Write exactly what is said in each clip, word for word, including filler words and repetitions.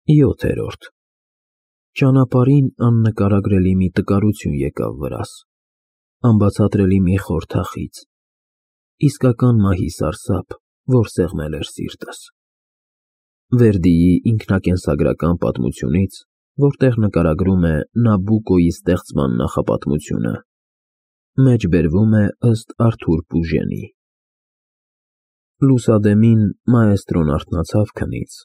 յոթերորդ Ճանապարհին աննկարագրելի մի տկարություն եկավ վրաս, անբացատրելի մի խոր թախիծ, իսկական մահի սարսափ, որ սեղմել էր սիրտս։ Վերդիի ինքնակենսագրական պատմությունից, որտեղ նկարագրում է Նաբուկոյի ստեղծման նախապատմությունը, մեջբերվում է ըստ Արթուր Պուժենի։ Լուսադեմին մաեստրոն արթնացավ քնից,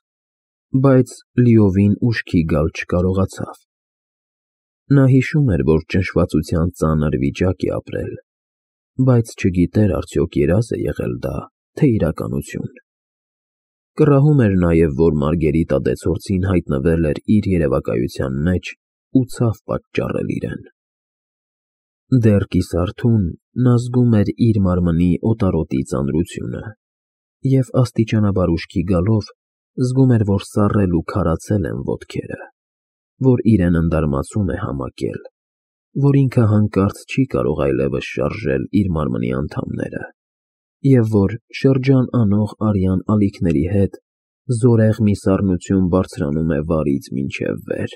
բայց լիովին ուշքի գալ չկարողացավ։ Նա հիշում էր, որ ճնշվածության ծանր վիճակ է ապրել, բայց չգիտեր արդյոք երազ է եղել դա, թե իրականություն։ Կռահում էր նաև, որ Մարգերիտա դեցորցին հայտնվել էր իր երևակայության մեջ ու ցավ պատճառել իրեն։ Դեռ կիսարթուն նա զգում էր իր մարմնի օտարոտի ծանրությունը և աստիճանաբար ուշքի գալով զգում էր, որ սառել ու քարացել են ոտքերը, որ իրեն ընդարմացում է համակել, որ ինքը հանկարծ չի կարող այլևս շարժել իր մարմնի անդամները և որ շրջան անող արյան ալիքների հետ զորեղ մի սառնություն բարձրանում է վարից մինչև վեր։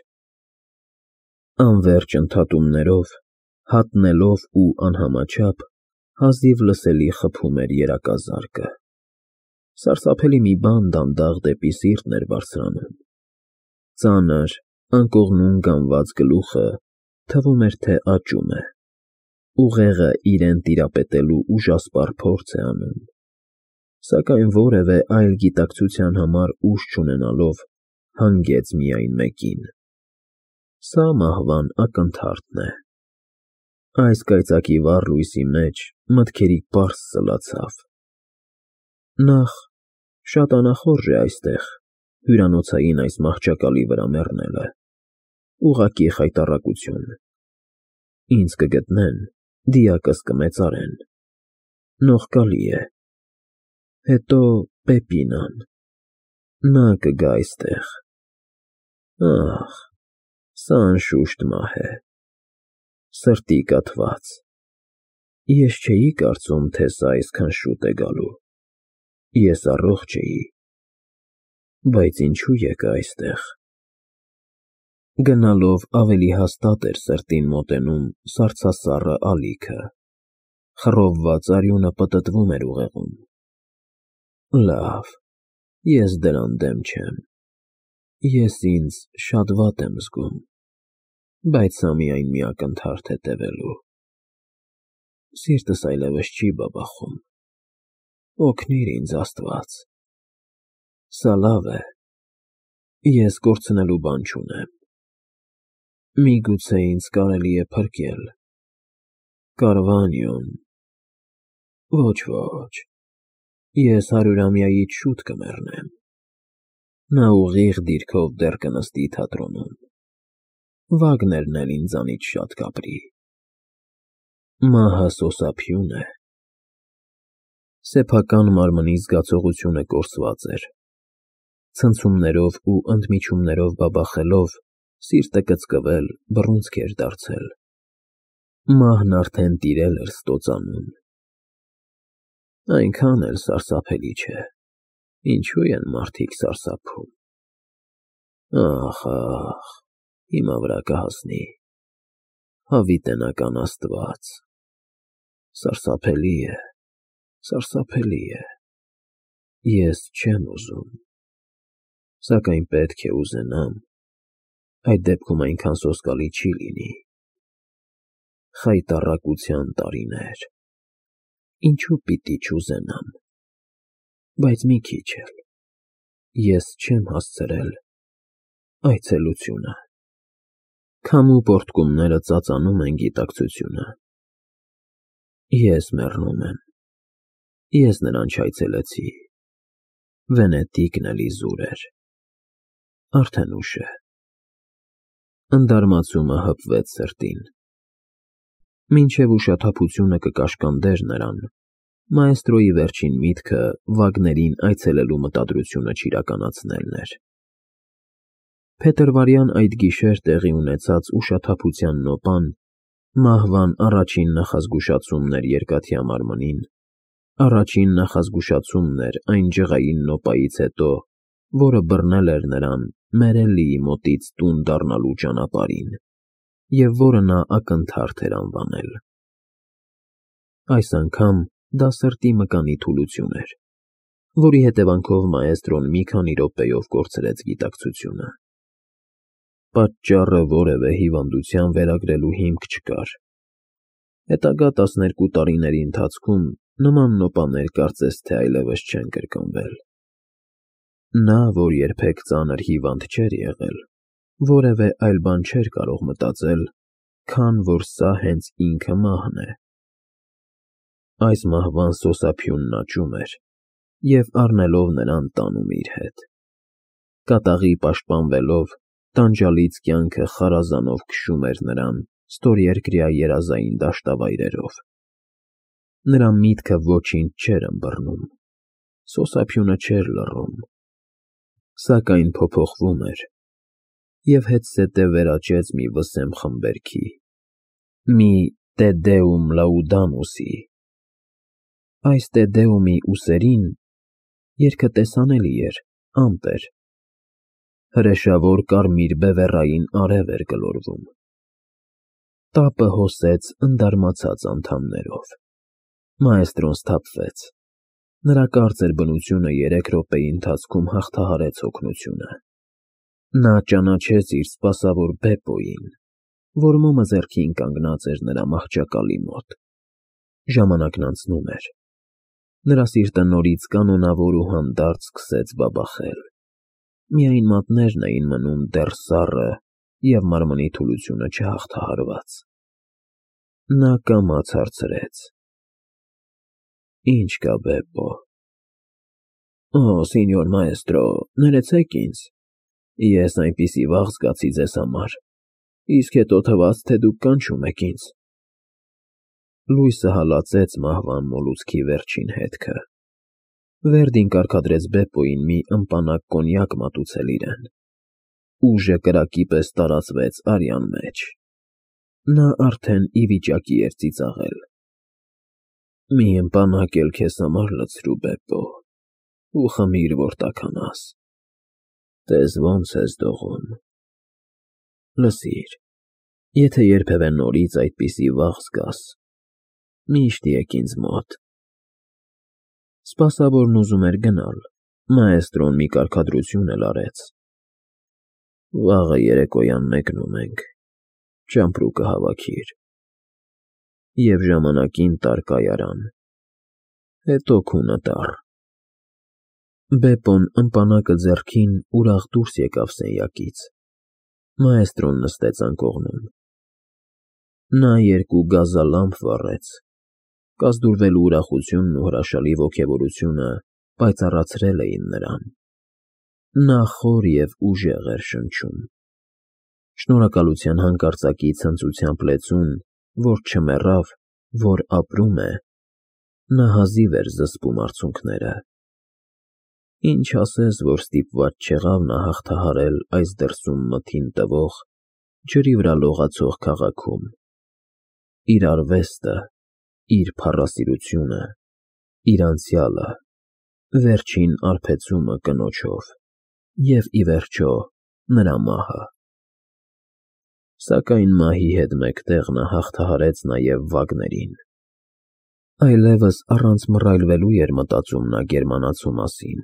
Անվերջ ընդհատումներով, հատնելով ու անհամաչափ, հազիվ լսելի խփում էր երակազարկը։ Սարսափելի մի բան դանդաղ դեպի սիրտն էր բարձրանում։ Ծանր, անկողնուն գանված գլուխը թվում էր, թե աճում է, ուղեղը իրեն տիրապետելու ուժասպառ փորձ է անում, սակայն որևէ այլ գիտակցության համար ուժ չունենալով հանգեց միայն մեկին. սա մահվան ակնթարթն է։ Այս կայծակի վառ լույսի մեջ մտքերի պարզ սլացավ. Նախ, շատ անախորժ է այստեղ, հյուրանոցային այս մահճակալի վրա մեռնելը, ուղղակի խայտառակություն։ Ինձ կգտնեն, դիակս կմեծարեն, նողկալի է։ Հետո Պեպինան, նա կգա այստեղ։ Ահ, սա անշուշտ մահ է, սրտի կաթված։ Ես չէի կարծում, թե սա այսքան շուտ է գալու, ես առողջ էի, բայց ինչու եկա այստեղ։ Գնալով ավելի հաստատ էր սրտին մոտենում սառցասառը ալիքը, խռովված արյունը պտտվում էր ուղեղում։ Լավ, ես դրան դեմ չեմ, ես ինձ շատ վատ եմ զգում, բայց սա միայն մի ակնթարթ է տևելու։ Սիրտս այլևս չի բաբախում, օգնիր ինձ, Աստված։ Սա լավ է, ես կորցնելու բան չունեմ։ Միգուցե ինձ կարելի է փրկել։ Կարվանյոն… Ոչ, ոչ, ես հարյուրամյայից շուտ կմեռնեմ։ Նա ուղիղ դիրքով դեռ կնստի թատրոնում։ Վագներն էլ ինձանից շատ կապրի։ Մահը սոսափիուն է։ Սեփական մարմնի զգացողությունը կորսված էր։ Ցնցումներով ու ընդմիջումներով բաբախելով, սիրտը կծկվել, բռունցք էր դարձել։ Մահն արդեն տիրել էր ստոծանում։ Այնքան էլ սարսափելի չէ, ինչու են մարդիկ սարսափում։ Ախ, ախ, հիմա վրա կհասնի, հավիտենական Աստված։ Սարսափելի է, սարսափելի է։ Ես չեմ ուզում, սակայն պետք է ուզենամ, այդ դեպքում այնքան սոսկալի չի լինի։ Խայտառակության տարիներ, ինչու պիտի չուզենամ, բայց մի քիչ էլ, ես չեմ հասցրել այցելությունը։ Քամու պոռթկումները ծածանում են գիտակցությունը։ Ես մեռնում եմ, ես նրան չայցելեցի, Վենետիկն էլ իզուր էր, արդեն ուշ է։ Ընդարմացումը հպվեց սրտին։ Մինչև ուշաթափությունը կկաշկանդեր նրան, մաեստրոյի վերջին միտքը Վագներին այցելելու մտադրությունը չիրականացնելն էր։ Փետրվարյան այդ գիշեր տեղի ունեցած ուշաթափության նոպան մահվան առաջին նախազգուշացումն էր երկաթյա մարմնին, առաջին նախազգուշացումն էր այն ջղային նոպայից հետո, որը բռնել էր նրան Մերելիի մոտից տուն դառնալու ճանապարհին, և որը նա ակնթարթ էր անվանել։ Այս անգամ դա սրտի մկանի թուլություն էր, որի հետևանքով մաեստրոն մի քանի րոպեով կորցրեց գիտակցությունը։ Պատճառը որևէ հիվանդության վերագրելու հիմք չկար։ Հետագա տասներկու տարիների ընթացքում նման նոպաներ կարծես թե այլևս չեն կրկնվել։ Նա, որ երբեք ծանր հիվանդ չէր եղել, որևէ այլ բան չէր կարող մտածել, քան որ սա հենց ինքը մահն է։ Այս մահվան սոսափյունն աճում էր և առնելով նրան տանում իր հետ։ Կատաղի պաշտպանվելով, տանջալից կյանքը խարազանով քշում էր նրան ստորերկրյա երազային դաշտավայրերով։ Նրա միտքը ոչինչ չէր ըմբռնում, սոսափյունը չէր լռում, սակայն փոփոխվում էր և հետզհետե վերաճեց մի վսեմ խմբերքի, մի Տե Դեում Լաուդամուսի։ Այս Տե Դեումի ուսերին երգը տեսանելի էր, ամպեր, հրեշավոր կարմիր բևեռային արև էր գլորվում։ Տապը հոսեց ընդարմացած անդամներով։ Մաեստրոն սթափվեց։ Նրա կարծր բնությունը երեք րոպեի ընթացքում հաղթահարեց հոգնությունը։ Նա ճանաչեց իր սպասավոր Բեպոյին, որ մոմը ձեռքին կանգնած էր նրա մահճակալի մոտ։ Ժամանակն անցնում էր։ Նրա սիրտը նորից կանոնավոր ու հանդարտ սկսեց բաբախել։ Միայն մատներն էին մնում դեռ սառը և մարմնի թուլությունը չհաղթահարված։ Նա կամաց հարցրեց. Ի՞նչ կա, Բեպո։ Օ, սենյոր մաեստրո, ներեցեք ինձ, ես այնպիսի վախ զգացի ձեզ համար, իսկ հետո թվաց, թե դուք կանչում եք ինձ։ Լույսը հալածեց մահվան մոլուցքի վերջին հետքը։ Վերդին կարգադրեց Բեպոյին մի ըմպանակ կոնյակ մատուցել իրեն։ Ուժը կրակի պես տարածվեց արյան մեջ։ Նա արդեն ի վիճակի էր ծիծաղել։ Մի ըմպանակ էլ քեզ համար լցրու, Բեպո, ու խմիր, որ տաքանաս։ Տես ոնց ես դողում։ Լսիր, եթե երբևէ նորից այդպիսի վախ զգաս, միշտ եկ ինձ մոտ։ Սպասավորն ուզում էր գնալ, մաեստրոն մի կարգադրություն էլ արեց։ Վաղը երեկոյան մեկնում ենք, ճամպրուկը հավաքիր։ Եվ ժամանակին տար կայարան, հետո քունը տար։ Բեպոն ըմպանակը ձեռքին ուրախ դուրս եկավ սենյակից։ Մաեստրոն նստեց անկողնում։ Նա երկու գազալամպ վառեց։ Կազդուրվելու ուրախությունն ու հրաշալի ոգևորությունը պայծառացրել էին նրան։ Նա խոր և ուժեղ էր շնչում։ Շնորհակալության հանկարծակի ցնծությամբ լեցուն, որ չմեռավ, որ ապրում է, նա հազիվ էր զսպում արցունքները։ Ինչ ասես, որ ստիպված չեղավ նա հաղթահարել այս դրսում մթին տվող, ջրի վրա լողացող քաղաքում իր արվեստը, իր փառասիրությունը, իր անցյալը, վերջին արբեցումը կնոջով և, ի վերջո, նրա մահը։ Սակայն մահի հետ մեկտեղ նա հաղթահարեց նաև վագներին։ Այլևս առանց մռայլվելու էր մտածում նա գերմանացու մասին,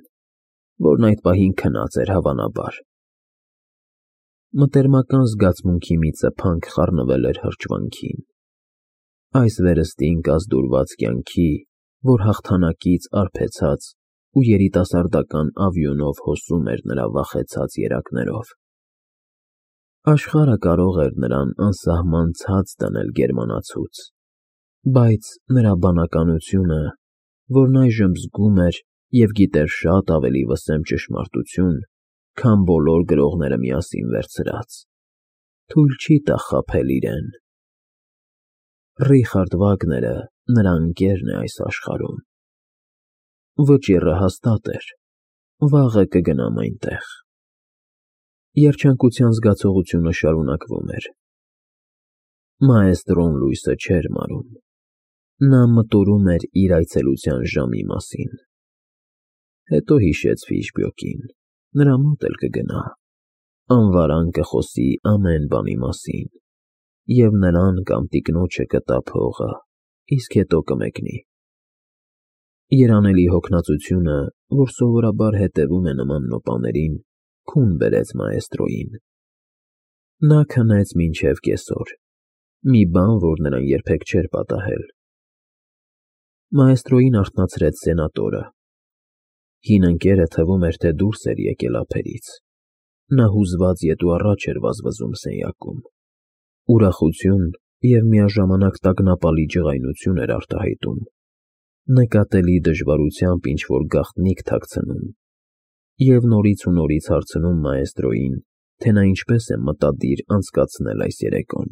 որն այդ պահին քնած էր հավանաբար։ Մտերմական զգացմունքի մի ծփանք խառնվել էր հրճվանքին։ Այս վերստին կազդուրված կյանքի, որ հաղթանակից արբեցած ու երիտասարդական ավյունով հոսում էր նրա վախեցած երակներով։ Աշխարհը կարող էր նրան անսահման ցած դնել գերմանացուց, բայց նրա բանականությունը, որն այժմ զգում էր և գիտեր շատ ավելի վսեմ ճշմարտություն, քան բոլոր գրողները միասին վերցրած, թույլ չի տա խաբել իրեն։ Ռիխարդ Վագները նրա ընկերն է այս աշխարհում։ Վճիռը հաստատ էր, վաղը կգնամ այնտեղ։ Երջանկության զգացողությունը շարունակվում էր։ Մաեստրոն լույսը չէր մարում։ Նա մտորում էր իր այցելության ժամի մասին։ Հետո հիշեց Ֆիշբյոկին։ նրա մոտ էլ կգնա, անվարան կխոսի ամեն բանի մասին, և նրան կամ տիկնոջը կտա փողը, իսկ հետո կմեկնի։ Երանելի հոգնածությունը, որ սովորաբար հետևում է նման նոպաներին, քուն բերեց մաեստրոյին։ Նա քնեց մինչև կեսօր, մի բան, որ նրան երբեք չէր պատահել։ Մաեստրոյին արթնացրեց սենատորը։ Հին ընկերը թվում էր, թե դուրս էր եկել ափերից։ Նա հուզված ետ ու առաջ էր վազվզում սենյակում։ Ուրախություն և միաժամանակ տագնապալի ջղայնություն էր արտահայտում, նկատելի դժվարությամբ ինչ-որ գաղտնիք թաքցնում և նորից ու նորից հարցնում մաեստրոյին, թե նա ինչպես է մտադիր անցկացնել այս երեկոն։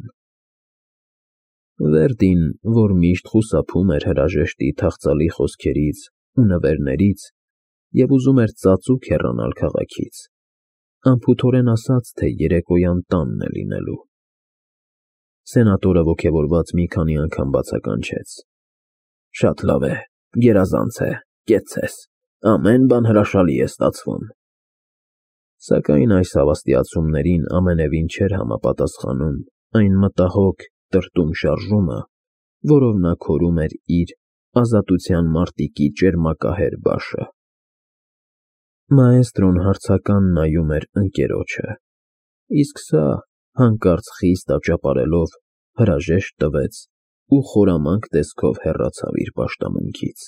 Վերդին, որ միշտ խուսափում էր հրաժեշտի թախծալի խոսքերից ու նվերներից և ուզում էր ծածուկ հեռանալ քաղաքից, անփութորեն ասաց, թե երեկոյան տանն է լինելու։ Սենատորը ոգևորված մի քանի անգամ բացականչեց. Շատ լավ է, գերազանց է, կեցցես, ամեն բան հրաշալի է ստացվում։ Սակայն այս հավաստիացումներին ամենևին չէր համապատասխանում այն մտահոգ, տրտում շարժումը, որով նա քորում էր իր ազատության մարտիկի ճերմակահեր բաշը։ Մաեստրոն հարցական նայում էր ընկերոջը, իսկ սա, հանկարծ խիստ աճապարելով, հրաժեշտ տվեց ու խորամանկ տեսքով հեռացավ իր պաշտամունքից։